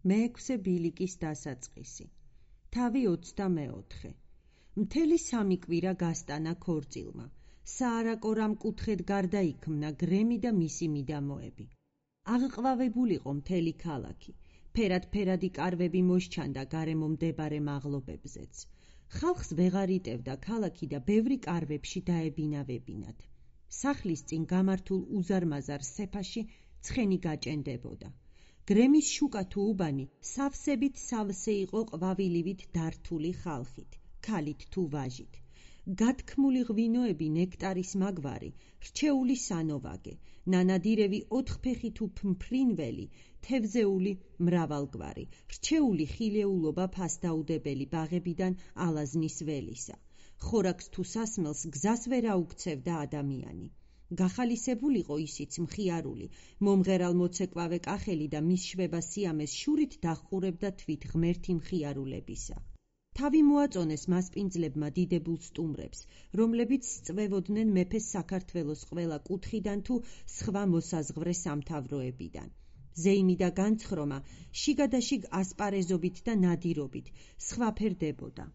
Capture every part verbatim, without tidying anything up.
მეექვსე ბილიკის დასაწყისი. თავი ოცდამეოთხე. მთელი სამი კვირა გასტანა ქორწილმა. საარაკორამ კუთხედ გარდაიქმნა გრემი და მისი მიდამოები. აღყვავებულიყო მთელი ქალაქი. ფერად-ფერადი კარვები მოსჩანდა გარემო მდებარე მაღლობებზეც. ხალხს ვეღარ იტევდა ქალაქი და ბევრი კარვებში დაებინავებინათ. სახლის წინ გამართულ უზარმაზარ სეფაში ცხენი გაჭენდებოდა. გრემის შუკა თუ უბანი სავსებით სავსე იყო ყვავილივით დართული ხალხით, ქალით თუ ვაჟით. გათქმული ღვინოები ნექტარის მაგვარი, რჩეული სანოვაგე, ნანადირევი ოთხფეხი თუ ფმფრინველი, თევზეული მრავალგვარი, რჩეული ხილეულობა ფასდაუდებელი ბაღებიდან ალაზნის ველისა. ხორაკს თუ სასმელს გზას ვერ აუქცევდა ადამიანი. გახალისებულიყო ისიც მხიარული, მომღერალ მოცეკვავე კახელი და მის შვება სიამეს შურით დახყურებდა თვით ღმერთი მხიარულებისა. თავი მოაწონეს მასპინძლებმა დიდებულ სტუმრებს, რომლებიც სწვევოდნენ მეფეს საქართველოს ყველა კუთხიდან თუ სხვა მოსაზღვრე სამთავროებიდან. ზეიმი და განცხრომა შიგადაშიგ ასპარეზობით და ნადირობით სხვაფერდებოდა.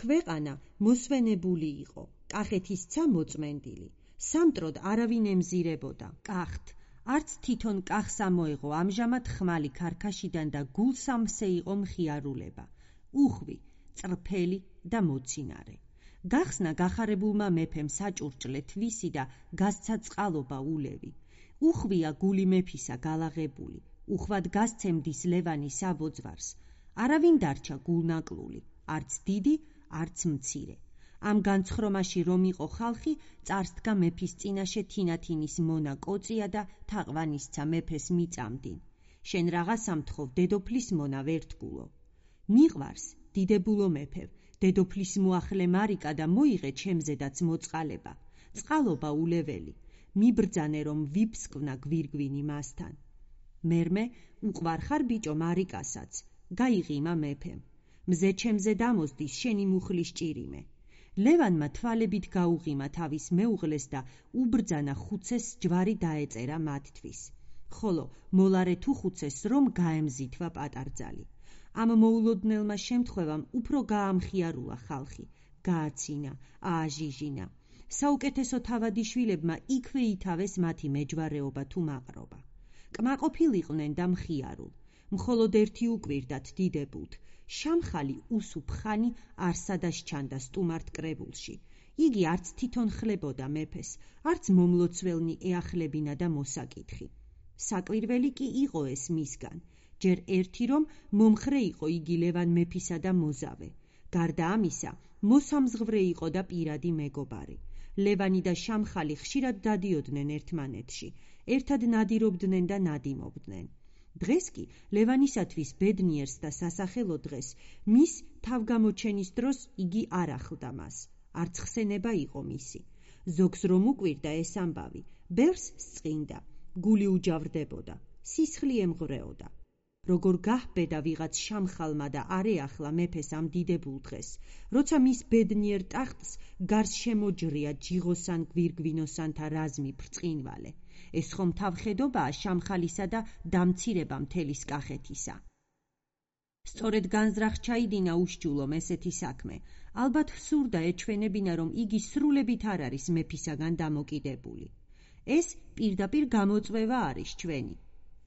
ქვეყანა მოსვენებული იყო, კახეთისცა მოწმენდილი. სამტროდ არავინ ემზირებოდა კახთ, არც თვითონ კახს ამოეღო ამჟამად ხმალი ქარქაშიდან და გულსამსე იყო მხიარულება, უხვი, წრფელი და მოცინარე. გახსნა გახარებულმა მეფემ საჭურჭლე თვისი და გასცა წყალობა ულევი. უხვია გული მეფისა გალაღებული, უხვად გასცემდის ლევანი საბოძვარს. არავინ დარჩა გულნაკლული, არც დიდი, არც მცირე. ამ განცხრომაში რომ იყო ხალხი, წარსდგა მეფის წინაშე თინათინის მონა კოწია და თაყვანისცა მეფეს მიწამდინ. შენ რაღაცა მთხოვ, დედოფლის მონა ვერთგულო. მიყვარს, დიდებულო მეფევ, დედოფლის მოახლე მარიკა და მოიღე ჩემზედაც მოწყალება. წყალობა ულეველი, მიბრძანე რომ ვიფსკვნა გვირგვინი მასთან. მერმე უყვარ ხარ ბიჭო მარიკასაც, გაიღიმა მეფემ. მზე ჩემზე დამოსდის შენი მუხლის ჭირიმე. ლევანმა თვალებით გაუღიმა თავის მეუღლეს და უბრძანა ხუცეს ჯვარი დაეწერა მათთვის. ხოლო მოლარე თუ ხუცეს რომ გაემზითვა პატარძალი. ამ მოულოდნელმა შემთხვევამ უფრო გაამხიარულა ხალხი, გააცინა, ააჟიჟინა. საუკეთესო თავადიშვილებმა იქვე ითავეს მათი მეჯვარეობა თუ მაყრობა. კმაყოფილიყვნენ და მხიარულ. მხოლოდ ერთი უკვირდათ დიდებულთ. შამხალი უსუფხანი არსადას ჩანდა სტუმართ კრებულში. იგი არც თვითონ ხლებოდა მეფეს, არც მომლოცველნი ეახლებინა და მოსაკითხი. საკვირველი კი იყო ეს მისგან. ჯერ ერთი რომ მომხრე იყო იგი ლევან მეფისა და მოზავე. გარდა ამისა, მოსამზღვრე იყო და პირადი მეგობარი. ლევანი და შამხალი ხშირად დადიოდნენ ერთმანეთში, ერთად ნადირობდნენ და ნადიმობდნენ. დღეს კი ლევანისათვის ბედნიერს და სასახელო დღეს, მის თავგამოჩენის დროს იგი არ ახლდა მას. არც ხსენება იყო მისი. ზოგს რომ უკვირდა ეს ამბავი, ბევრს სწყინდა, გული უჯავრდებოდა, სისხლი ემღვრეოდა. როგორ გაჰბედა ვიღაც შამხალმა და არეახლა მეფეს ამ დიდებულ დღეს, როცა მის ბედნიერ ტახტს გარს შემოჯრია ჯიღოსან გვირგვინოსანთა რაზმი ბრწყინვალე. ეს ხომ თავხედობაა შამხალისა და დამცირება მთელის კახეთისა. სწორედ განზრახ ჩაიდინა უშჯულომ ესეთი საქმე. ალბათ სურდა ეჩვენებინა რომ იგი სრულებით არ არის მეფისაგან დამოკიდებული. ეს პირდაპირ გამოწვევა არის ჩვენი.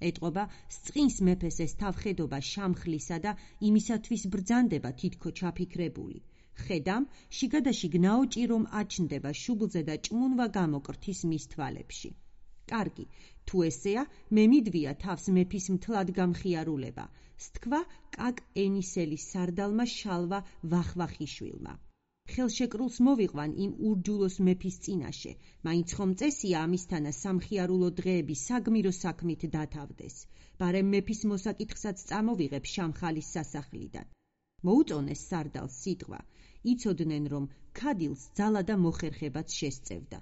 ეტყობა სწყინს მეფეს ეს თავხედობა შამხლისა და იმისათვის ბრძანდება თითქო ჩაფიქრებული. ხედამ შიგადაშიგ ნაოჭი რომ აჩნდება შუბლზე და ჭმუნვა გამოკრთის მის თვალებში. კარგი, თუ ესეა, მე მიდვია თავს მეფის მთლად გამხიარულება, სთქვა კაკ ენისელის სარდალმა შალვა ვახვახიშვილმა. ხელშეკრულს მოვიყვან იმ ურჯულოს მეფის წინაშე, მაინც ხომ წესია ამისთანა სამხიარულო დღეები საგმირო საქმით დათავდეს. ბარემ მეფის მოსაკითხსაც წამოვიღებ შამხალის სასახლიდან. მოუწონეს სარდალს სიტყვა, იცოდნენ რომ ქადილს ძალა და მოხერხებაც შესწევდა.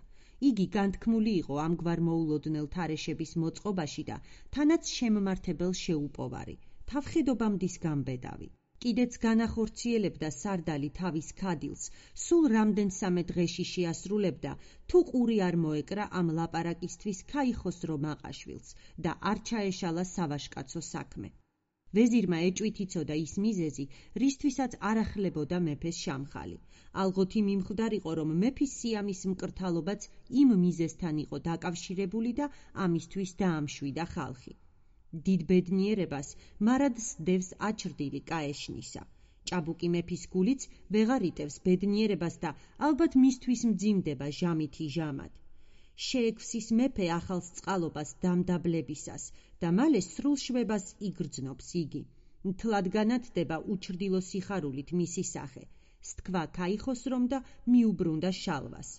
იგი განთქმული იყო ამგვარ მოულოდნელ თარეშების მოწყობაში და თანაც შემმართებელ შეუპოვარი, თავხედობამდის გამბედავი. კიდეც განახორციელებდა სარდალი თავის ქადილს, სულ რამდენსამე დღეში შეასრულებდა, თუ ყური არ მოეკრა ამ ლაპარაკისთვის ქაიხოსრო მაყაშვილს და არ ჩაეშალა სავაშკაცო საქმე. ვეზირმა ეჭვით იცოდა ის მიზეზი, რისთვისაც არ ახლებოდა მეფეს შამხალი. ალბათ იმ იმხდარიყო, რომ მეფის სიამის მკრთალობაც იმ მიზეზთან იყო დაკავშირებული და ამისთვის დაამშვიდა ხალხი. დიდ ბედნიერებას მარად სდევს აჩრდილი კაეშნისა. ჭაბუკი მეფის გულიც ვეღარ იტევს ბედნიერებას და ალბათ მისთვის მძიმდება ჟამითი ჟამად. შეექვსის მეფე ახალს წყალობას დამდაბლებისას და მალე სრულ შვებას იგრძნობს იგი. მთლად განათდება უჩრდილო სიხარულით მისი სახე. სთქვა ქაიხოს რომ და მიუბრუნდა შალვას.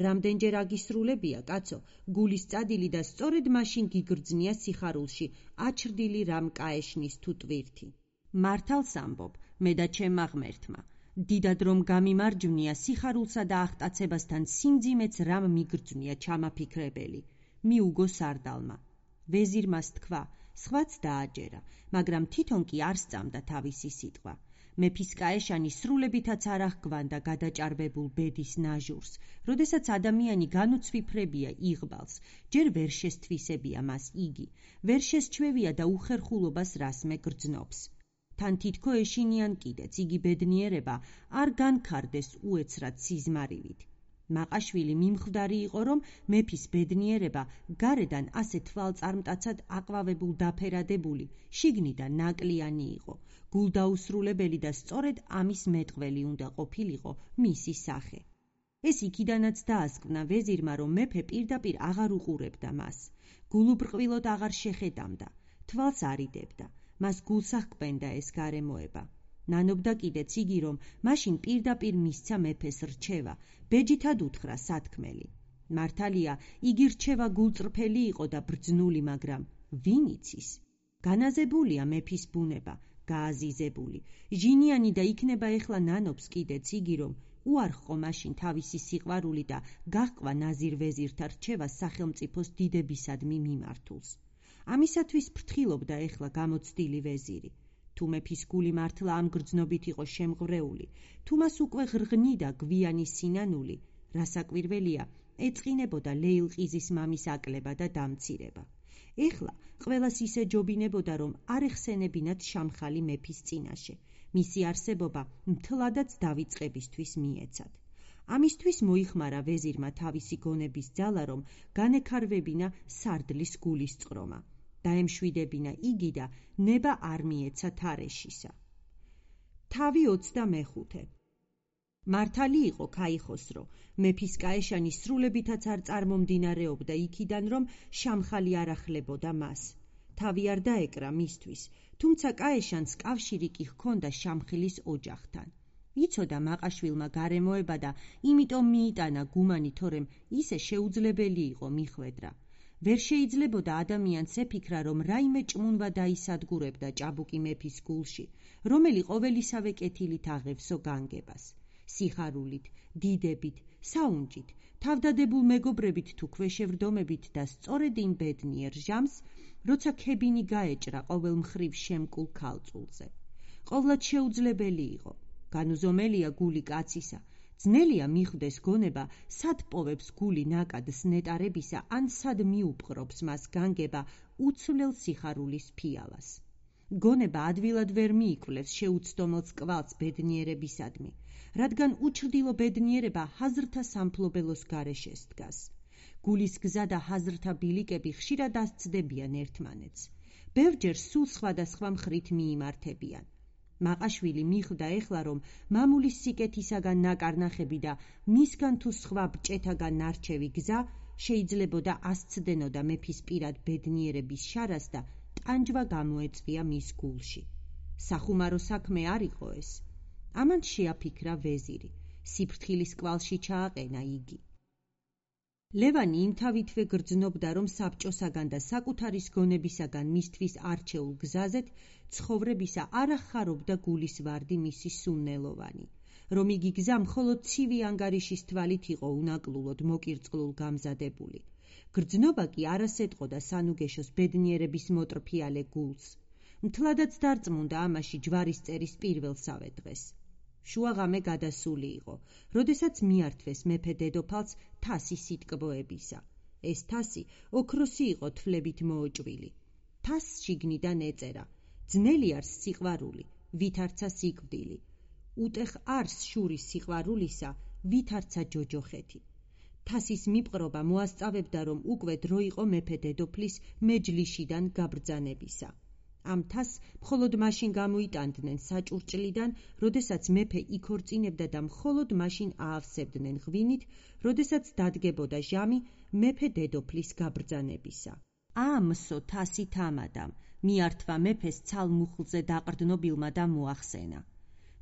რამდენჯერ აგისრულებია, კაცო, გულის წადილი და სწორედ მაშინ გიგრძნია სიხარულში აჩრდილი რამ კაეშნის თუ ტვირთი. მართალს ამბობ, მე და ჩემმა ღმერთმა. დიდად რომ გამიმარჯვნია სიხარულსა და აღტაცებასთან სიმძიმეც რამ მიგრძნია ჩამაფიქრებელი. მიუგო სარდალმა. ვეზირმა სთქვა, სხვაც დააჯერა, მაგრამ თვითონ კი არ სწამდა თავისი სიტყვა. მეფის კაეშანი სრულებითაც არ აღგვანდა გადაჭარბებულ ბედის ნაჟურს, როდესაც ადამიანი განუცვიფრებია იღბალს, ჯერ ვერ შესთვისებია მას იგი, ვერ შესჩვევია და უხერხულობას რასმე გრძნობს. თან თითქო ეშინიან კიდეც იგი ბედნიერება არ განქარდეს უეცრად სიზმარივით. მაყაშვილი მიმხვდარი იყო, რომ მეფის ბედნიერება გარედან ასე თვალწარმტაცად აყვავებულ დაფერადებული, შიგნიდან ნაკლიანი იყო, გულდაუსრულებელი და სწორედ ამის მეტყველი უნდა ყოფილიყო მისი სახე. ეს იქიდანაც დაასკვნა ვეზირმა, რომ მეფე პირდაპირ აღარ უყურებდა მას, გულუბრყვილოდ აღარ შეხედამდა, თვალს არიდებდა, მას გულს აღკვენდა ეს გარემოება. ნანობდა კიდეც იგი, რომ მაშინ პირდაპირ მისცა მეფეს რჩევა, ბეჯითად უთხრა სათქმელი. მართალია, იგი რჩევა გულწრფელი იყო და ბრძნული, მაგრამ ვინ იცის? განაზებულია მეფის ბუნება, გააზიზებული, ჟინიანი და იქნება ეხლა ნანობს კიდეც იგი, რომ უარყო მაშინ თავისი სიყვარული და გაჰყვა ნაზირ ვეზირთა რჩევა სახელმწიფოს დიდებისადმი მიმართულს. ამისათვის ფრთხილობდა ეხლა გამოცდილი ვეზირი. თუ მეფის გული მართლა ამ გრძნობით იყო შემღვრეული, თუ მას უკვე ღრღნიდა გვიანი სინანული, რასაკვირველია, ეწყინებოდა ლეილყიზის მამის აკლება და დამცირება. ეხლა ყველას ისე ჯობინებოდა, რომ არ ეხსენებინათ შამხალი მეფის წინაშე, მისი არსებობა მთლადაც დავიწყებისთვის მიეცათ. ამისთვის მოიხმარა ვეზირმა თავისი გონების ძალა, რომ განექარვებინა სარდლის გულის წყრომა. დაემშვიდებინა იგი და ნება არ მიეცა თარეშისა. თავი ოცდამეხუთე. მართალი იყო ქაიხოსრო, მეფის კაეშანი სრულებითაც არ წარმომდინარეობდა იქიდან, რომ შამხალი არ ახლებოდა მას. თავი არ დაეკრა მისთვის, თუმცა კაეშანს კავშირი კი ჰქონდა შამხილის ოჯახთან. იცოდა მაყაშვილმა გარემოება და იმიტომ მიიტანა გუმანი, თორემ ისე შეუძლებელი იყო მიხვედრა. ვერ შეიძლებოდა ადამიანს ეფიქრა, რომ რაიმე ჭმუნვა დაისადგურებდა ჭაბუკი მეფის გულში, რომელი ყოველისავე კეთილით აღევსო განგებას. სიხარულით, დიდებით, საუნჯით, თავდადებულ მეგობრებით თუ ქვეშევრდომებით და სწორედ იმ ბედნიერ ჟამს, როცა ქებინი გაეჭრა ყოველ მხრივ შემკულ ქალწულზე. ყოვლად შეუძლებელი იყო, განუზომელია გული კაცისა, ძნელია მიხვდეს გონება, სად პოვებს გული ნაკადს ნეტარებისა, ან სად მიუპყრობს მას განგება უცვლელ სიხარულის ფიალას. გონება ადვილად ვერ მიიკვლევს შეუცდომელს კვალს ბედნიერებისადმი, რადგან უჩრდილო ბედნიერება ჰაზრთა სამფლობელოს გარეშე დგას. გულის გზა და ჰაზრთა ბილიკები ხშირად ასცდებიან ერთმანეთს. ბევრჯერ სულ სხვადასხვა მხრით მიიმართებიან. მაყაშვილი მიხვდა ეხლა, რომ მამულის სიკეთისაგან ნაკარნახები და მისგან თუ სხვა ბჭეთაგან ნარჩევი გზა შეიძლებოდა ასცდენოდა მეფის პირად ბედნიერების შარას და ტანჯვა გამოეწვია მის გულში. სახუმარო საქმე არ იყო ეს. ამან შეაფიქრა ვეზირი, სიფრთხილის კვალში ჩააყენა იგი. ლევანი იმთავითვე გრძნობდა, რომ საბჭოსაგან და საკუთარის გონებისაგან მისთვის არჩეულ გზაზეთ ცხოვრებისა არ ახარობდა გულის ვარდი მისი სუნნელოვანი, რომ იგი გზა მხოლოდ ცივი ანგარიშის თვალით იყო უნაკლულოდ მოკირწყლულ გამზადებული. გრძნობა კი არასეტყოდა სანუგეშოს ბედნიერების მოტრფიალე გულს. მთლადაც დარწმუნდა ამაში ჯვარისწერის პირველსავე დღეს. შუაღამე გადასული იყო, როდესაც მიართვეს მეფე დედოფალს თასი სიტკბოებისა. ეს თასი ოქროსი იყო თვლებით მოოჭვილი. თასს შიგნიდან ეწერა: ძნელი არს სიყვარული, ვით არცა სიკვდილი. უტეხ არს შურის სიყვარულისა, ვით არცა ჯოჯოხეთი. თასის მიპყრობა მოასწავებდა, რომ უკვე დრო იყო მეფე დედოფლის მეჯლისიდან გაბრძანებისა. ამ თასს მხოლოდ მაშინ გამოიტანდნენ საჭურჭლიდან, როდესაც მეფე იქორწინებდა და მხოლოდ მაშინ აავსებდნენ ღვინით, როდესაც დადგებოდა ჟამი მეფე დედოფლის გაბრძანებისა. აამსო თასი თამადამ, მიართვა მეფეს ცალმუხლზე დაყრდნობილმა და მოახსენა.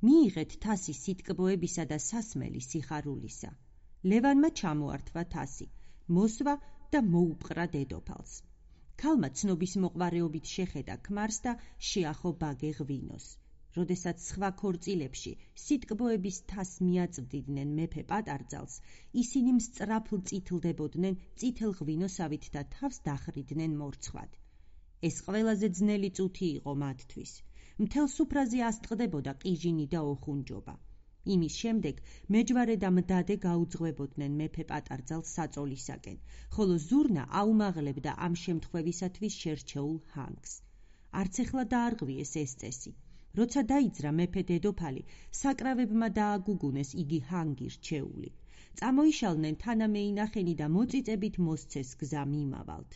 მიიღეთ თასი სიტკბოებისა და სასმელი სიხარულისა. ლევანმა ჩამოართვა თასი, მოსვა და მოუპყრა დედოფალს. ქალმა ცნობის მოყვარეობით შეხედა ქმარს და შეახო ბაგე ღვინოს. როდესაც სხვა ქორწილებში სიტკბოების თასს მიაწვდიდნენ მეფე პატარძალს, ისინი მსწრაფლ წითლდებოდნენ წითელ ღვინოსავით და თავს დახრიდნენ მორცხვად. ეს ყველაზე ძნელი წუთი იყო მათთვის. მთელ სუფრაზე ასტყდებოდა ყიჟინი და ოხუნჯობა. იმის შემდეგ მეჯვარე და მდადე გაუძღვებოდნენ მეფე პატარძალს საწოლისაკენ, ხოლო ზურნა აუმაღლებდა ამ შემთხვევისათვის შერჩეულ ჰანგს. არც ეხლა დაარღვიეს ეს წესი. როცა დაიძრა მეფე დედოფალი, საკრავებმა დააგუგუნეს იგი ჰანგი რჩეული. წამოიშალნენ თანამეინახენი და მოწიწებით მოსცეს გზა მიმავალთ.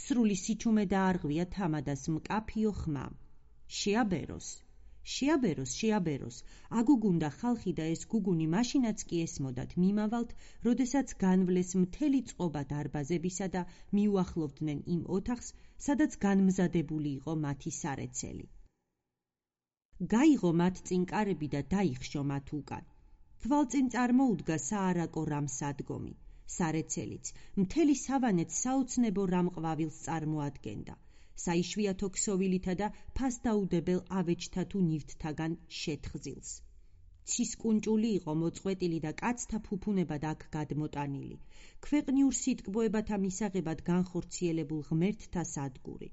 სრული სიჩუმე დაარღვია თამადას მკაფიო ხმამ. შეაბეროს, შეაბეროს, შეაბეროს, აგუგუნდა ხალხი და ეს გუგუნი მაშინაც კი ესმოდათ მიმავალთ, როდესაც განვლეს მთელი წყობა დარბაზებისა და მიუახლოვდნენ იმ ოთახს, სადაც განმზადებული იყო მათი სარეცელი. გაიღო მათ წინ კარები და დაიხშო მათ უკან. თვალწინ წარმოუდგა საარაკო რამსადგომი. სარეცელიც მთელი სავანეთ საოცნებო რამყვავილს წარმოადგენდა. საიშვიათო ქსოვილითა და ფასდაუდებელ ავეჯთა თუ ნივთთაგან შეთხზილს. ცისკუნჭული იყო მოწყვეტილი და კაცთა ფუფუნებად აქ გადმოტანილი. ქვეყნიურ სიტკბოებათა მისაღებად განხორციელებულ ღმერთთა სადგური.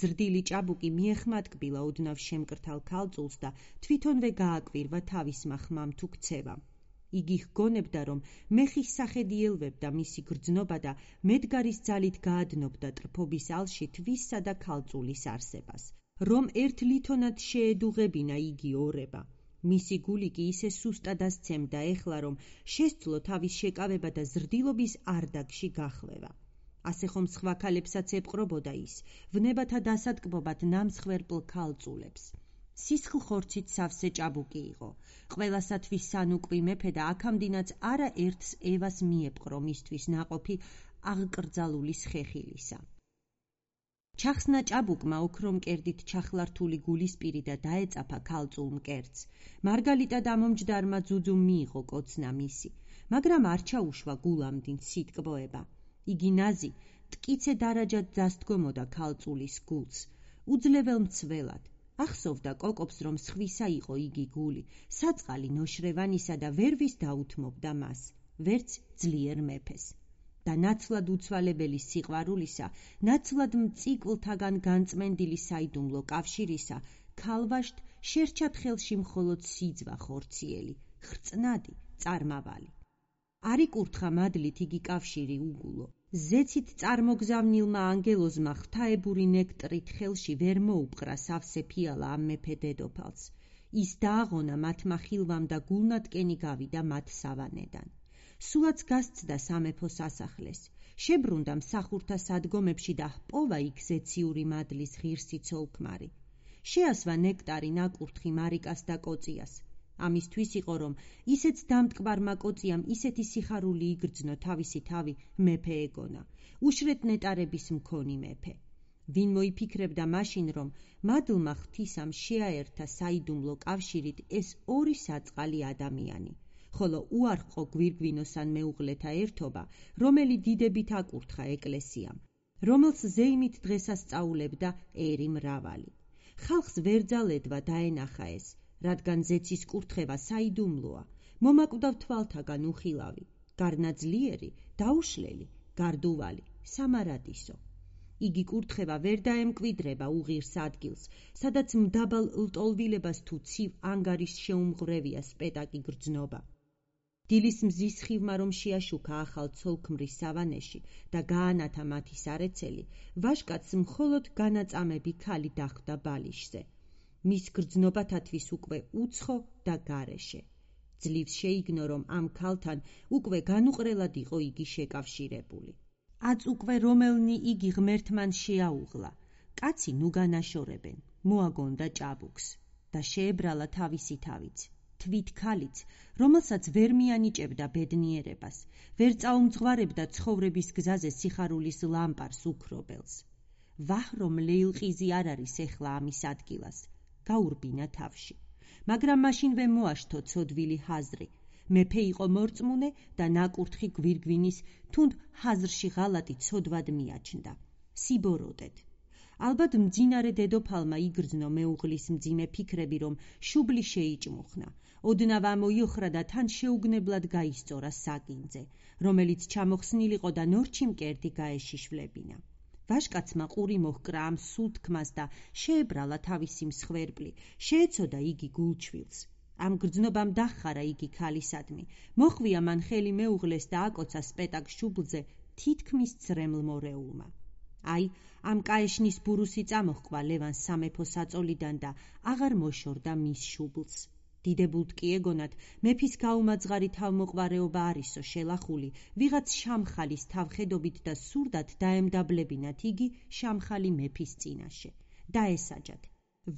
ზრდილი ჭაბუკი მიეხმატკბილა ოდნავ შემკრთალ ქალწულს და თვითონვე გააკვირვა თავისმა ხმამ თუ ქცევამ. იგი ჰგონებდა, რომ მეხის სახედი ელვებდა მისი გრძნობა და მედგარის ძალით გაადნობდა ტრფობის ალში თვისა და ქალწულის არსებას. რომ ერთ ლითონად შეედუღებინა იგი ორება. მისი გული კი ისე სუსტად ასცემდა ეხლა, რომ შესძლო თავის შეკავება და ზრდილობის არდაგში გახლევა. ასე ხომ სხვა ქალებსაც ეპყრობოდა ის, ვნებათა დასატკბობად ნამსხვერპლ ქალწულებს. სისხლ ხორცით სავსე ჭაბუკი იყო. ყველასათვის სანუკვი მეფე და აქამდინაც არა ერთს ევას მიეპყრო მისთვის ნაყოფი აღკრძალული სხეხილისა. ჩახსნა ჭაბუკმა ოქრო მკერდით ჩახლართული გულისპირი და დაეწაფა ქალწულ მკერდს. მარგალიტა დამომჯდარმა ძუძუმ მიიღო კოცნა მისი, მაგრამ არ ჩაუშვა გულამდინ სიტკბოება. იგი ნაზი ტკიცე დარაჯად დასდგომოდა ქალწულის გულს, უძლებელ მცველად. ახსოვდა კოკობს, რომ სხვისა იყო იგი გული, საწყალი ნოშრევანისა და ვერვის დაუთმობდა მას, ვერც ძლიერ მეფეს. და ნაცვლად უცვალებელი სიყვარულისა, ნაცვლად მწიკლთაგან განწმენდილი საიდუმლო კავშირისა, ქალვაშთ შერჩათ ხელში მხოლოდ სიძვა ხორციელი, ხრწნადი, წარმავალი. არ იკურთხა მადლით იგი კავშირი უგულო. ზეცით წარმოგზავნილმა ანგელოზმა ღვთაებური ნექტრით ხელში ვერ მოუპყრა სავსე ფიალა ამ მეფე დედოფალს. ის დააღონა მათმა ხილვამ და გულნატკენი გავიდა მათ სავანედან. სულაც გასცდა სამეფო სასახლეს. შებრუნდა მსახურთა სადგომებში და ჰპოვა იქ ზეციური მადლის ღირსი ცოლქმარი. შეასვა ნექტარი ნაკურთხი მარიკას და კოწიას. ამისთვის იყო, რომ ისეც დამტკბარმა კოწიამ ისეთი სიხარული იგრძნო თავისი თავი მეფე ეგონა, უშრეთ ნეტარების მქონი მეფე. ვინ მოიფიქრებდა მაშინ, რომ მადლმა ღვთისამ შეაერთა საიდუმლო კავშირით ეს ორი საწყალი ადამიანი, ხოლო უარყო გვირგვინოსან მეუღლეთა ერთობა, რომელი დიდებით აკურთხა ეკლესიამ, რომელს ზეიმით დღესასწაულებდა ერი მრავალი. ხალხს ვერძალედვა დაენახა ეს, რადგან ზეცის კურთხევა საიდუმლოა, მომაკვდავ თვალთაგან უხილავი, გარნაძლიერი, დაუშლელი, გარდუვალი, სამარადისო. იგი კურთხევა ვერ დაემკვიდრება უღირს ადგილს, სადაც მდაბალ ლტოლვილებას თუ ცივ ანგარის შეუმღვრევია სპეტაკი გრძნობა. დილის მზის ხივმა რომ შეაშუქა ახალ ცოლქმრის სავანეში და გაანათა მათი სარეცელი, ვაჟკაცს მხოლოდ განაწამები ქალი დახვდა ბალიშზე. მის გრძნობათათვის უკვე უცხო და გარეშე. ძლივს შეიგნო, რომ ამ ქალთან უკვე განუყრელად იყო იგი შეკავშირებული. აწ უკვე რომელნი იგი ღმერთმან შეაუღლა. კაცი ნუ განაშორებენ, მოაგონდა ჭაბუკს და შეებრალა თავისი თავიც. თვით ქალიც, რომელსაც ვერ მიანიჭებდა ბედნიერებას, ვერ წაუმძღვარებდა ცხოვრების გზაზე სიხარულის ლამპარს უქრობელს. ვაჰ, რომ ლეილყიზი არ არის ეხლა ამის ადგილას, გაურბინა თავში. მაგრამ მაშინვე მოაშთო ცოდვილი ჰაზრი. მეფე იყო მორწმუნე და ნაკურთხი გვირგვინის თუნდ ჰაზრში ღალატი ცოდვად მიაჩნდა. სიბოროტედ. ალბათ მძინარე დედოფალმა იგრძნო მეუღლის მძიმე ფიქრები, რომ შუბლი შეიჭმუხნა. ოდნავ ამოიოხრა და თან შეუგნებლად გაისწორა საკინძე, რომელიც ჩამოხსნილიყო და ნორჩი მკერდი გაეშიშვლებინა. ვაჟკაცმა ყური მოჰკრა ამ სულ თქმას და შეებრალა თავისი მსხვერპლი, შეეცოდა იგი გულჩვილს. ამ გრძნობამ დახარა იგი ქალისადმი, მოხვია მან ხელი მეუღლეს და აკოცა სპეტაკ შუბლზე თითქმის ძრემლმორეულმა. აი, ამ კაეშნის ბურუსი წამოჰყვა ლევანს სამეფო საწოლიდან და აღარ მოშორდა მის შუბლს. დიდებულთ კი ეგონათ, მეფის გაუმაძღარი თავმოყვარეობა არისო შელახული, ვიღაც შამხალის თავხედობით და სურდათ დაემდაბლებინათ იგი შამხალი მეფის წინაშე. დაესაჯათ.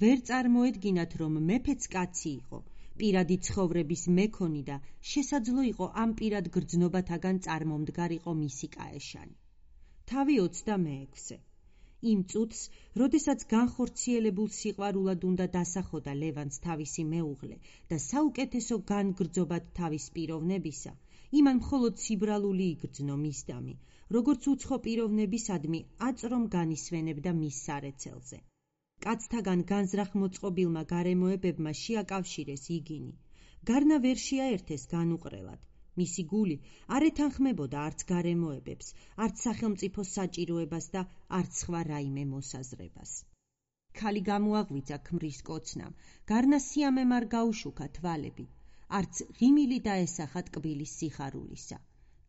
ვერ წარმოედგინათ, რომ მეფეც კაცი იყო, პირადი ცხოვრების მეკონი და შესაძლო იყო ამ პირად გრძნობათაგან წარმომდგარიყო მისი კაეშანი. თავი ოცდამეექვსე. იმ წუთს, როდესაც განხორციელებულ სიყვარულად უნდა დასახოდა ლევანს თავისი მეუღლე და საუკეთესო განგრძობად თავის პიროვნებისა, იმან მხოლოდ ციბრალული იგრძნო მისდამი, როგორც უცხო პიროვნებისადმი აწრომ განისვენებდა მის სარეცელზე. კაცთაგან განზრახ მოწყობილმა გარემოებებმა შეაკავშირეს იგინი. გარნა ვერ შეაერთეს განუყრელად. მისი გული არ ეთანხმებოდა არც გარემოებებს, არც სახელმწიფო საჭიროებას და არც სხვა რაიმე მოსაზრებას. ქალი გამოაღვიძა ქმრის კოცნამ, გარნა სიამემ არ გაუშუქა თვალები, არც ღიმილი დაესახა ტკბილის სიხარულისა.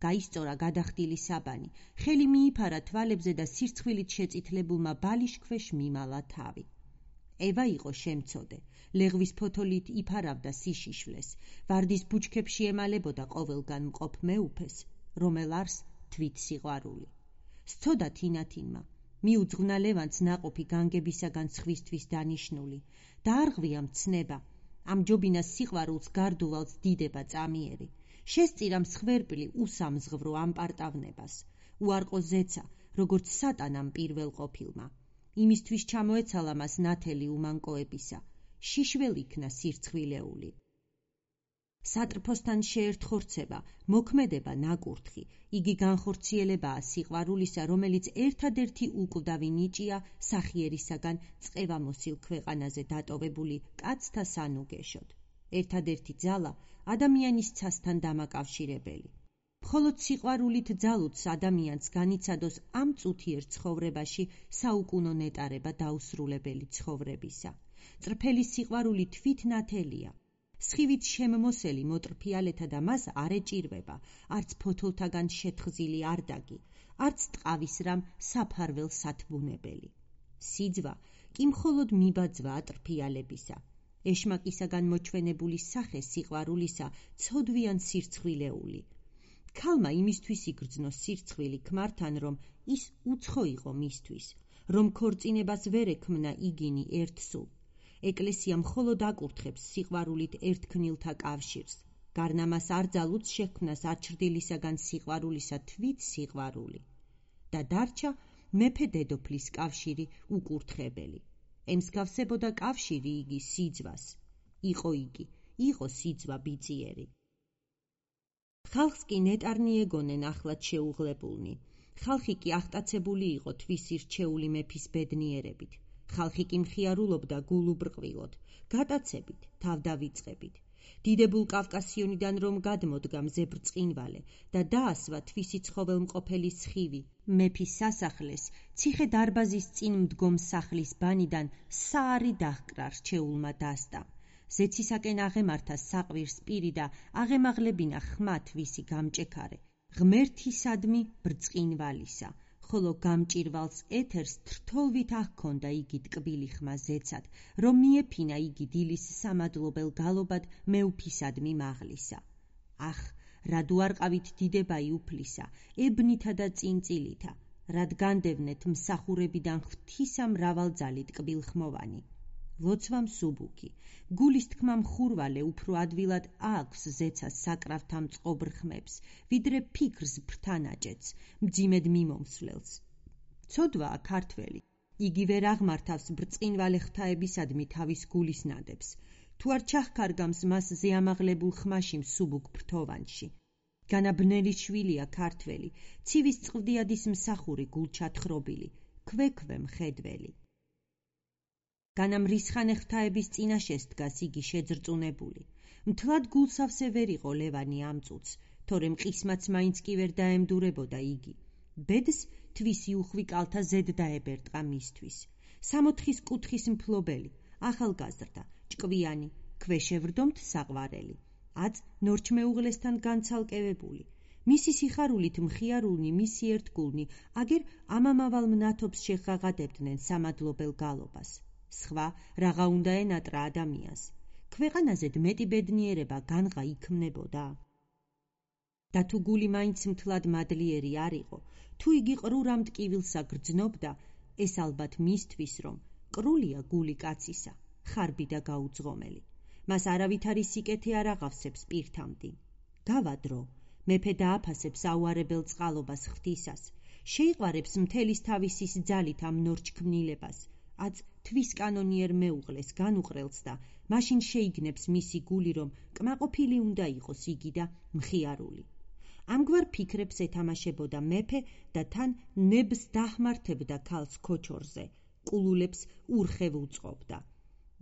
გაისწორა გადახდილი საბანი, ხელი მიიფარა თვალებზე და სირცხვილით შეწითლებულმა ბალიშქვეშ მიმალა თავი. ევა იყო შემცოდე, ლეღვის ფოთოლით იფარავდა სიშიშვლეს, ვარდის ბუჩქებში ემალებოდა ყოველგან მყოფ მეუფეს, რომელ არს თვით სიყვარული. სცოდა თინათინმა, მიუძღვნა ლევანს ნაყოფი განგებისაგან სხვისთვის დანიშნული, დაარღვია მცნება, ამჯობინას სიყვარულს გარდუვალს დიდება წამიერი, შესწირა მსხვერპლი უსამზღვრო ამპარტავნებას, უარყო ზეცა, როგორც სატანამ პირველ ყოფილმა. იმისთვის ჩამოეცალა მას ნათელი უმანკოებისა, შიშველ იქნა სირცხვილეული. სატრფოსთან შეერთხორცება, მოქმედება ნაკურთხი, იგი განხორციელებაა სიყვარულისა, რომელიც ერთადერთი უკვდავი ნიჭია სახიერისაგან წყევამოსილ ქვეყანაზე დატოვებული კაცთა სანუგეშოდ. ერთადერთი ძალა ადამიანის ცასთან დამაკავშირებელი. მხოლოდ სიყვარულით ძალუც ადამიანს განიცადოს ამ წუთიერ ცხოვრებაში საუკუნო ნეტარება დაუსრულებელი ცხოვრებისა. წრფელი სიყვარული თვით ნათელია. სხივით შემმოსელი მოტრფიალეთა და მას არ ეჭირვება, არც ფოთოლთაგან შეთხზილი არდაგი, არც ტყავის რამ საფარველ სათბუნებელი. სიძვა კი მხოლოდ მიბაძვა ატრფიალებისა. ეშმაკისაგან მოჩვენებული სახე სიყვარულისა ცოდვიან სირცხვილეული. ქალმა იმისთვის იგრძნო სირცხვილი ქმართან, რომ ის უცხო იყო მისთვის, რომ ქორწინებას ვერ ექმნა იგინი ერთსულ. ეკლესია მხოლოდ აკურთხებს სიყვარულით ერთქნილთა კავშირს, გარნა მას არ ძალუც შექმნას არჩრდილისაგან სიყვარულისა თვით სიყვარული. და დარჩა მეფე დედოფლის კავშირი უკურთხებელი. ემსგავსებოდა კავშირი იგი სიძვას. იყო იგი, იყო სიძვა ბიწიერი. ხალხს კი ნეტარნი ეგონენ ახლად შეუღლებულნი. ხალხი კი აღტაცებული იყო თვისი რჩეული მეფის ბედნიერებით. ხალხი კი მხიარულობდა გულუბრყვილოდ, გატაცებით, თავდავიწყებით. დიდებულ კავკასიონიდან რომ გადმოდგა მზე ბრწყინვალე და დაასვა თვისი ცხოველმყოფელი სხივი, მეფის სასახლეს, ციხე დარბაზის წინ მდგომ სახლის ბანიდან საარი დაჰკრა რჩეულმა დასტამ ზეცისაკენ აღემართა საყვირს პირი და აღემაღლებინა ხმათ ვისი გამჭექარე, ღმერთისადმი ბრწყინვალისა, ხოლო გამჭირვალს ეთერს თრთოლვით აღქონდა იგი ტკბილი ხმა ზეცად, რომ მიეფინა იგი დილის სამადლობელ გალობად მეუფისადმი მაღლისა. ახ, რად უარყავით დიდებაი უფლისა, ებნითა და წინწილითა, რად განდევნეთ მსახურებიდან ღვთისა მრავალძალი ტკბილხმოვანი. ლოცვა მსუბუქი, გულის თქმა მხურვალე უფრო ადვილად აქვს ზეცას საკრავთა მწყობრ ხმებს, ვიდრე ფიქრს ფრთანაჭეთს, მძიმედ მიმომსვლელს. ცოდვაა ქართველი, იგი ვერ აღმართავს ბრწყინვალე ღვთაებისადმი თავის გულის ნადებს, თუ არ ჩახკარგამს მას ზეამაღლებულ ხმაში მსუბუქ ფრთოვანში. განაბნელი შვილია ქართველი, ცივის წყვდიადის მსახური გულჩათხრობილი, ქვექვე მხედველი. განამრისხანე ღვთაების წინაშეს დგას იგი შეძრწუნებული. მთლად გულსავსე ვერ იყო ლევანი ამ წუთს, თორემ ყისმაც მაინც კი ვერ დაემდურებოდა იგი. ბედს თვისი უხვი კალთა ზედ დაებერტყა მისთვის. სამოთხის კუთხის მფლობელი, ახალგაზრდა, ჭკვიანი, ქვეშევრდომთ საყვარელი. აწ ნორჩმეუღლესთან განცალკევებული. მისი სიხარულით მხიარულნი მისი ერთგულნი, აგერ ამამავალ მნათობს შეღაღადებდნენ სამადლობელ გალობას. სხვა რაღა უნდა ენატრა ადამიანს. ქვეყანაზე მეტი ბედნიერება განღა იქმნებოდა. და თუ გული მაინც მთლად მადლიერი არ იყო, თუ იგი ყრურ ამ ტკივილსა გრძნობდა, ეს ალბათ მისთვის, რომ ყრულია გული კაცისა, ხარბი და გაუძღომელი. მას არავითარი სიკეთე არ აღავსებს პირთამდი. გავა დრო, მეფე დააფასებს აუარებელ წყალობას ღვთისას, შეიყვარებს მთელის თავისის ძალით ამ ნორჩქმნილებას, აწ თვის კანონიერ მეუღლეს განუყრელს და მაშინ შეიგნებს მისი გული, რომ კმაყოფილი უნდა იყოს იგი და მხიარული. ამგვარ ფიქრებს ეთამაშებოდა მეფე და თან ნებს დაჰმართებდა ქალს ქოჩორზე, ყულულებს ურხევ უწყობდა.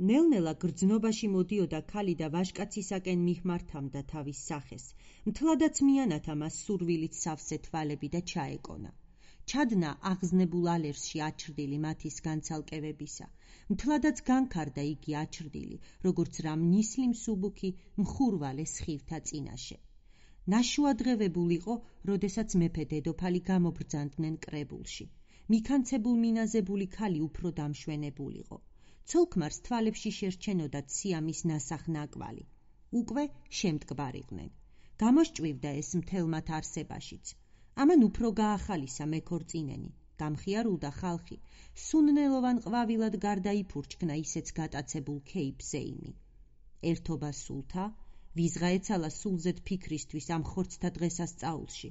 ნელ-ნელა გრძნობაში მოდიოდა ქალი და ვაჟკაცისაკენ მიჰმართამდა თავის სახეს, მთლადაც მიანათა მას სურვილით სავსე თვალები და ჩაეკონა. ჩადნა აღზნებულ ალერსში აჩრდილი მათის განცალკევებისა, მთლადაც განქარდა იგი აჩრდილი, როგორც რამ ნისლი მსუბუქი მხურვალე სხივთა წინაშე. ნაშუადღევებულ იყო, როდესაც მეფე დედოფალი გამობრძანდნენ კრებულში. მიქანცებულ მინაზებული ქალი უფრო დამშვენებულიყო. ცოლქმარს თვალებში შერჩენოდა სიამის ნასახნაკვალი. უკვე შემტკბარიყვნენ. გამოსჭვივდა ეს მთელ მათ არსებაშიც. ამან უფრო გაახალისა მეკორწინენი, გამხიარულდა ხალხი, სუნნელოვან ყვავილად გარდაიფურჩქნა ისეც გატაცებულ ქეიფზეიმი. ერთობა სულთა, ვიზღა ეცალა სულზედ ფიქრისთვის ამ ხორცთა დღესასწაულში.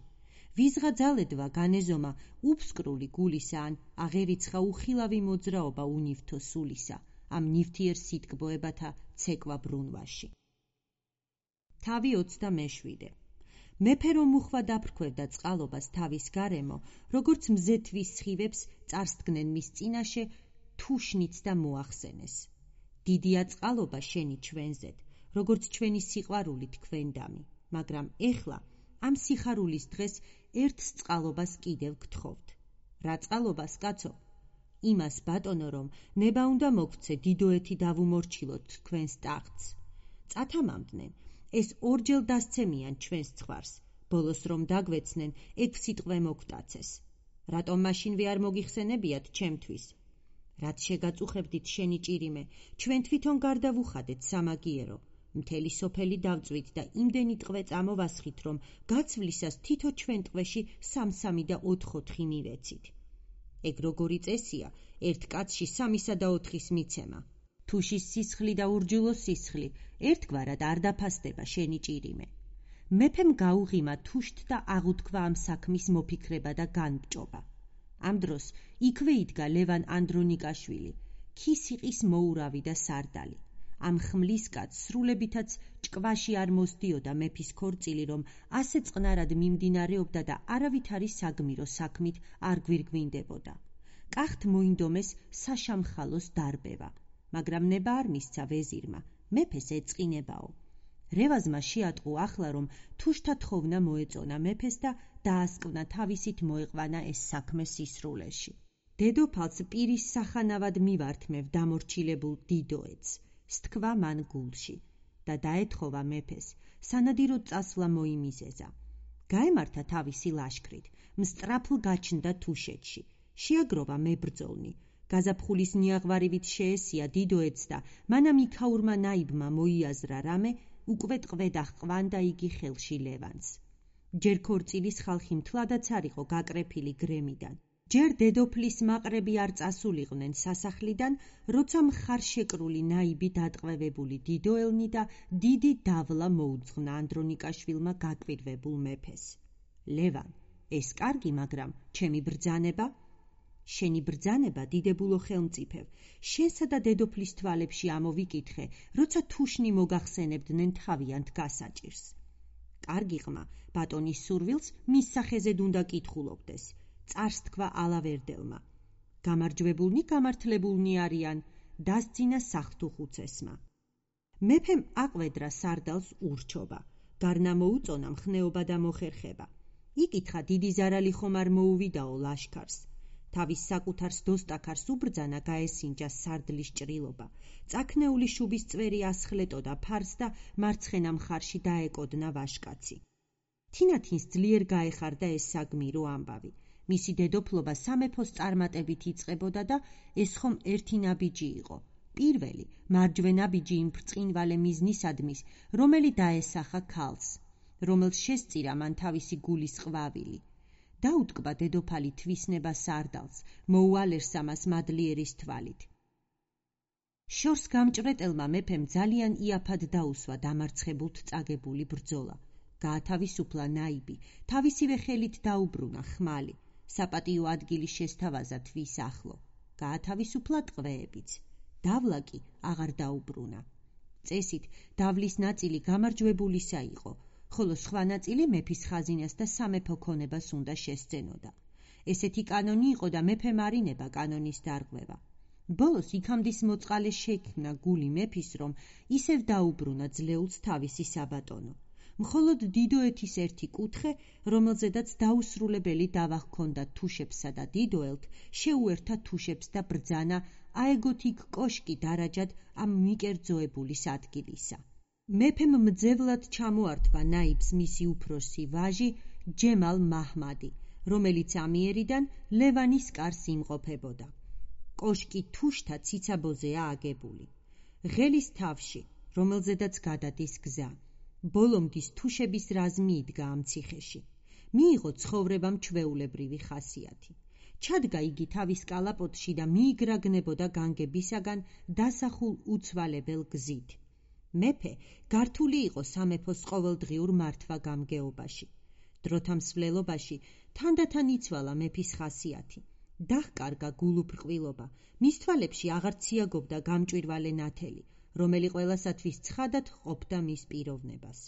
ვიზღა ძალედვა განეზომა უფსკრული გულისა ან აღერიცხა უხილავი მოძრაობა უნივთო სულისა, ამ ნივთიერ სიტკბოებათა ცეკვა ბრუნვაში. თავი ოცდამეშვიდე. მეფე რომ უხვა დაფრქვევდა წყალობას თავის გარემო, როგორც მზეთვის სხივებს წარსდგნენ მის წინაშე, თუშნიც და მოახსენეს. დიდია წყალობა შენი ჩვენზედ, როგორც ჩვენი სიყვარული თქვენდამი, მაგრამ ეხლა ამ სიხარულის დღეს ერთს წყალობას კიდევ გთხოვთ. რა წყალობას, კაცო? იმას ბატონო, რომ ნება უნდა მოგცე დიდოეთი დავუმორჩილოთ თქვენს ტახტს. წათამამდნენ, ეს ორჯერ დასცემიან ჩვენს ცხვარს, ბოლოს რომ დაგვეცნენ, ექვსი სიტყვე მოგტაცეს. რატომ მაშინვე არ მოგიხსენებიათ ჩემთვის? რაც შეგაწუხებდით შენი ჭირიმე, ჩვენ თვითონ გარდავუხადეთ სამაგიერო. მთელი სოფელი დავწვით და იმდენი ტყვე წამოვასხით, რომ გაცვლისას თითო ჩვენ ტყვეში სამ-სამი და ოთხ-ოთხი მივეცით. ეგ როგორი წესია, ერთ კაცში სამისა და ოთხის მიცემა. თუშის სისხლი და ურჯულოს სისხლი ერთგვარად არ დაფასდება შენი ჭირიმე. მეფემ გაუღიმა თუშთ და აღუთქვა ამ საქმის მოფიქრება და განბჭობა. ამ დროს იქვე იდგა ლევან ანდრონიკაშვილი, ქისიყის მოურავი და სარდალი. ამ ხმლის კაცს სრულებითაც ჭკვაში არ მოსდიოდა მეფის ქორწილი, რომ ასე წყნარად მიმდინარეობდა და არავითარი საგმირო საქმით არ გვირგვინდებოდა. კახთ მოინდომეს საშამხალოს დარბევა, მაგრამ ნება არ მისცა ვეზირმა, მეფეს ეწყინებაო. რევაზმა შეატყო ახლა, რომ თუშთა თხოვნა მოეწონა მეფეს და დაასკვნა თავისით მოეყვანა ეს საქმე სისრულეში. დედოფალს პირის სახანავად მივართმევ დამორჩილებულ დიდოეთს. სთქვა მან გულში და დაეთხოვა მეფეს, სანადიროდ წასვლა მოიმიზეზა. გაემართა თავისი ლაშქრით, მსწრაფლ გაჩნდა თუშეთში, შეაგროვა მებრძოლნი, გაზაფხულის ნიაღვარივით შეესია დიდოეთს და მანამ იქაურმა ნაიბმა მოიაზრა რამე, უკვე ტყვედ აღყვანდა იგი ხელში ლევანს. ჯერ ქორწილის ხალხი მთლადაც არ იყო გაკრეფილი გრემიდან. ჯერ დედოფლის მაყრები არ წასულიყვნენ სასახლიდან, როცა მხარშეკრული ნაიბი დატყვევებული დიდოელნი და დიდი დავლა მოუძღვნა ანდრონიკაშვილმა გაკვირვებულ მეფეს. ლევან, ეს კარგი, მაგრამ ჩემი ბრძანება? შენი ბრძანება, დიდებულო ხელმწიფევ, შენსა და დედოფლის თვალებში ამოვიკითხე, როცა თუშნი მოგახსენებდნენ თავიანთ გასაჭირს. კარგი ყმა, ბატონის სურვილს მის სახეზედ უნდა კითხულობდეს. წარს თქვა ალავერდელმა. გამარჯვებულნი გამართლებულნი არიან, დასძინა სახთუხუცესმა. მეფემ აყვედრა სარდალს ურჩობა, გარნა მოუწონა მხნეობა და მოხერხება. იკითხა დიდი ზარალი ხომ არ მოუვიდაო ლაშქარს. თავის საკუთარს დოსტაქარს უბრძანა გაესინჯა სარდლის ჭრილობა. წაქნეული შუბის წვერი ასხლეტოდა ფარს და მარცხენა მხარში დაეკოდნა ვაშკაცი. თინათინს ძლიერ გაეხარდა ეს საგმირო ამბავი. მისი დედოფლობა სამეფოს წარმატებით იწყებოდა და ეს ხომ ერთი ნაბიჯი იყო. პირველი, მარჯვენა ბიჯი იმ ბრწყინვალე მიზნისადმის, რომელი დაესახა ქალს, რომელს შესწირა მან თავისი გულის ყვავილი. დაუტკბა დედოფალი თვისნება სარდალს, მოუალერსა მას მადლიერის თვალით. შორს გამჭრეტელმა მეფემ ძალიან იაფად დაუსვა დამარცხებულთ წაგებული ბრძოლა. გაათავისუფლა ნაიბი, თავისივე ხელით დაუბრუნა ხმალი. საპატიო ადგილი შესთავაზა თვის ახლო. გაათავისუფლა ტყვეებიც. დავლა კი აღარ დაუბრუნა. წესით დავლის ნაწილი გამარჯვებულისა იყო, ხოლო სხვა ნაწილი მეფის ხაზინას და სამეფო ქონებას უნდა შესძენოდა. ესეთი კანონი იყო და მეფემ არინება კანონის დარღვევა. ბოლოს იქამდის მოწყალე შექმნა გული მეფის, რომ ისევ დაუბრუნა ძლეულს თავისი საბატონო. მხოლოდ დიდოეთის ერთი კუთხე, რომელზედაც დაუსრულებელი დავა ჰქონდა თუშებსა და დიდოელთ, შეუერთა თუშებს და ბრძანა აეგოთ იქ კოშკი დარაჯად ამ მიკერძოებულის ადგილისა. მეფემ მძევლად ჩამოართვა ნაიბს მისი უფროსი ვაჟი ჯემალ მაჰმადი, რომელიც ამიერიდან ლევანის კარს იმყოფებოდა. კოშკი თუშთა ციცაბოზეა აგებული. ღელის თავში, რომელზედაც გადადის გზა. ბოლომდის თუშების რაზმი იდგა ამ ციხეში. მიიღო ცხოვრებამ ჩვეულებრივი ხასიათი. ჩადგა იგი თავის კალაპოტში და მიიგრაგნებოდა განგებისაგან დასახულ უცვალებელ გზით. მეფე გართული იყო სამეფოს ყოველდღიურ მართვა-გამგეობაში. დროთა მსვლელობაში თანდათან იცვალა მეფის ხასიათი. დაჰკარგა გულუბრყვილობა, მის თვალებში აღარ ციაგობდა გამჭვირვალე ნათელი, რომელი ყველასათვის ცხადად ყოფდა მის პიროვნებას.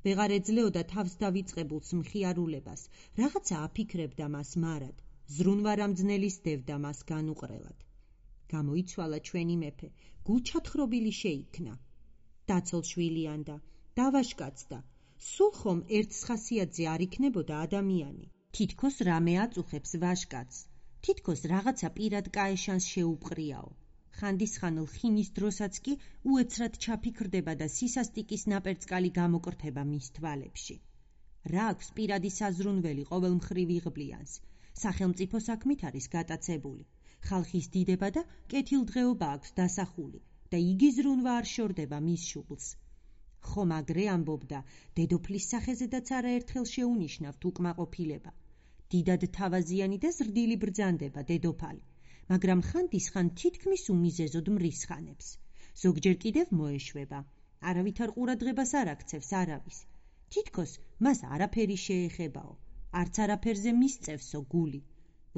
ვეღარ ეძლეოდა თავს დავიწყებულს მხიარულებას, რაღაცა აფიქრებდა მას მარად, ზრუნვარამძნელის დევდა მას განუყრელად. გამოიცვალა ჩვენი მეფე, გულჩათხრობილი შეიქნა. დაცოლშვილიანდა, დავაშკაცდა, სულ ხომ ერთს ხასიათზე არ იქნებოდა ადამიანი. თითქოს რამე აწუხებს ვაშკაცს, თითქოს რაღაცა პირად კაეშანს შეუპყრიაო. ხანდისხანელ ხინის დროსაც კი უეცრად ჩაფიქრდება და სისასტიკის ნაპერწკალი გამოკრთება მის თვალებში. რა აქვს პირადი საზრუნველი ყოველ მხრივ იღბლიანს, სახელმწიფო საქმით არის გატაცებული, ხალხის დიდება და კეთილდღეობა აქვს დასახული და იგი ზრუნვა არ შორდება მის შუბლს. ხომ აგრე ამბობდა, დედოფლის სახეზედაც არაერთხელ შეუნიშნავთ უკმაყოფილება. დიდად თავაზიანი და ზრდილი ბრძანდება დედოფალი, მაგრამ ხანდისხან თითქმის უმიზეზოდ მრისხანებს. ზოგჯერ კიდევ მოეშვება, არავითარ ყურადღებას არ აქცევს არავის. თითქოს მას არაფერი შეეხებაო, არც არაფერზე მისწევსო გული.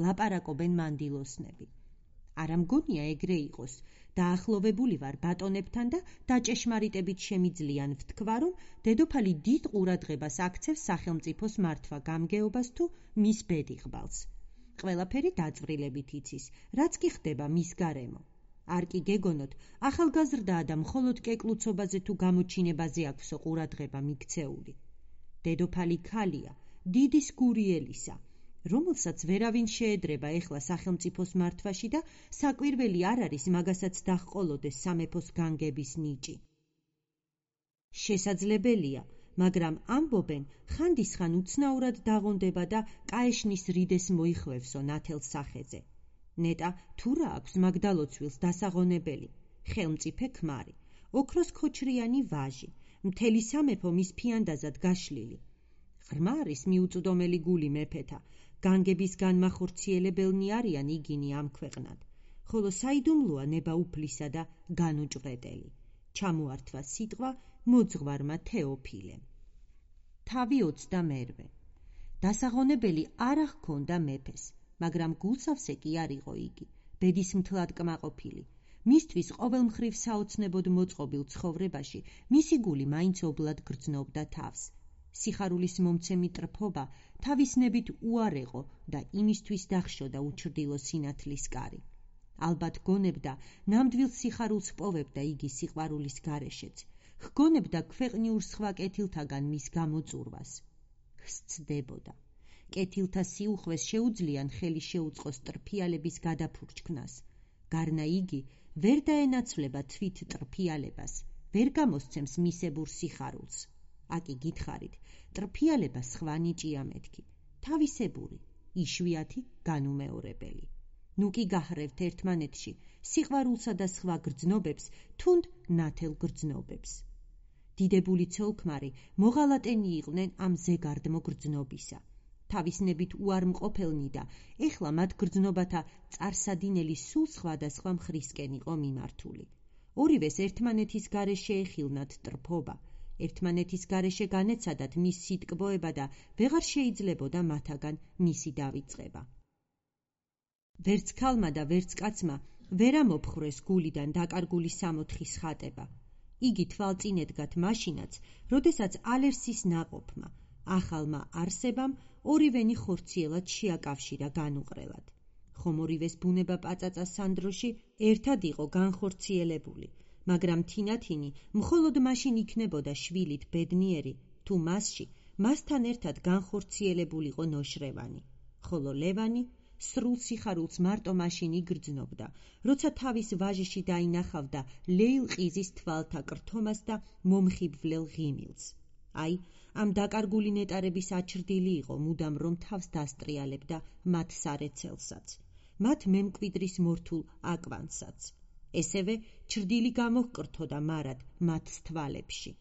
ლაპარაკობენ მანდილოსნები. არა მგონია ეგრე იყოს, დაახლოვებული ვარ ბატონებთან და დაჭეშმარიტებით შემიძლიან ვთქვა, რომ დედოფალი დიდ ყურადღებას აქცევს სახელმწიფოს მართვა-გამგეობას თუ მის ბედიღბალს. ყველაფერი დაწვრილებით იცის, რაც კი ხდება მის გარემო. არ კი გეგონოთ, ახალგაზრდაა და მხოლოდ კეკლუცობაზე თუ გამოჩინებაზე აქვსო ყურადღება მიქცეული. დედოფალი ქალია, დიდის გურიელისა, რომელსაც ვერავინ შეედრება ეხლა სახელმწიფოს მართვაში და საკვირველი არ არის მაგასაც დაჰყოლოდეს სამეფოს განგების ნიჭი. შესაძლებელია, მაგრამ ამბობენ, ხანდისხან უცნაურად დაღონდება და კაეშნის რიდეს მოიხვევსო ნათელს სახეზე. ნეტა თუ რა აქვს მაგდალოცვილს დასაღონებელი, ხელმწიფე ქმარი, ოქროს ქოჩრიანი ვაჟი, მთელი სამეფო მის ფიანდაზად გაშლილი. ღრმა არის მიუწვდომელი გული მეფეთა, განგების განმახორციელებელნი არიან იგინი ამ ქვეყნად, ხოლო საიდუმლოა ნება უფლისა და განუჭვრეტელი. ჩამოართვა სიტყვა მოძღვარმა თეოფილემ. თავი ოცდამერვე. დასაღონებელი არა ჰქონდა მეფეს, მაგრამ გულსავსე კი არ იყო იგი, ბედისმთლად კმაყოფილი. მისთვის ყოველ მხრივ საოცნებოდ მოწყობილ ცხოვრებაში მისი გული მაინც ობლად გრძნობდა თავს. სიხარულის მომცემი ტრფობა თავისნებით უარეყო და იმისთვის დახშოდა უჩრდილო სინათლის კარი. ალბათ გონებდა, ნამდვილ სიხარულს პოვებდა იგი სიყვარულის გარეშეც, ჰგონებდა ქვეყნიურ სხვა კეთილთაგან მის გამოწურვას. სცდებოდა. კეთილთა სიუხვეს შეუძლიან ხელი შეუწყოს ტრფიალების გადაფურჩქნას. გარნა იგი ვერ დაენაცვლება თვით ტრფიალებას, ვერ გამოსცემს მისებურ სიხარულს. აკი გითხარით, ტრფიალება სხვა ნიჭია მეთქი, თავისებური, იშვიათი, განუმეორებელი. ნუ კი გაჰრევთ ერთმანეთში სიყვარულსა და სხვა გრძნობებს, თუნდ ნათელ გრძნობებს. დიდებული ცოლქმარი მოღალატენი იყვნენ ამ ზეგარდმო გრძნობისა. თავისნებით უარმყოფელნი და ეხლა მათ გრძნობათა წარსადინელი სულ სხვადასხვა მხრისკენ იყო მიმართული. ორივეს ერთმანეთის გარეშე ეხილნათ ტრფობა, ერთმანეთის გარეშე განეცადათ მის სიტკბოება და ვეღარ შეიძლებოდა მათაგან მისი დავიწყება. ვერც ქალმა და ვერც კაცმა ვერ ამოფხრეს გულიდან დაკარგული სამოთხის ხატება. იგი თვალწინ ედგათ მაშინაც, როდესაც ალერსის ნაყოფმა, ახალმა არსებამ ორივენი ხორციელად შეაკავშირა განუყრელად. ხომ ორივეს ბუნება პაწაწა სანდროში ერთად იყო განხორციელებული, მაგრამ თინათინი მხოლოდ მაშინ იქნებოდა შვილით ბედნიერი, თუ მასში მასთან ერთად განხორციელებულიყო ნოშრევანი, ხოლო ლევანი სრულ სიხარულს მარტო მაშინ იგრძნობდა, როცა თავის ვაჟიში დაინახავდა ლეილყიზის თვალთა კრთომას და მომხიბვლელ ღიმილს. აი, ამ დაკარგული ნეტარების აჩრდილი იყო მუდამ რომ თავს დასტრიალებდა მათ სარეცელსაც, მათ მემკვიდრის მორთულ აკვანსაც. ესევე ჩრდილი გამოჰკრთოდა მარად მათ თვალებში.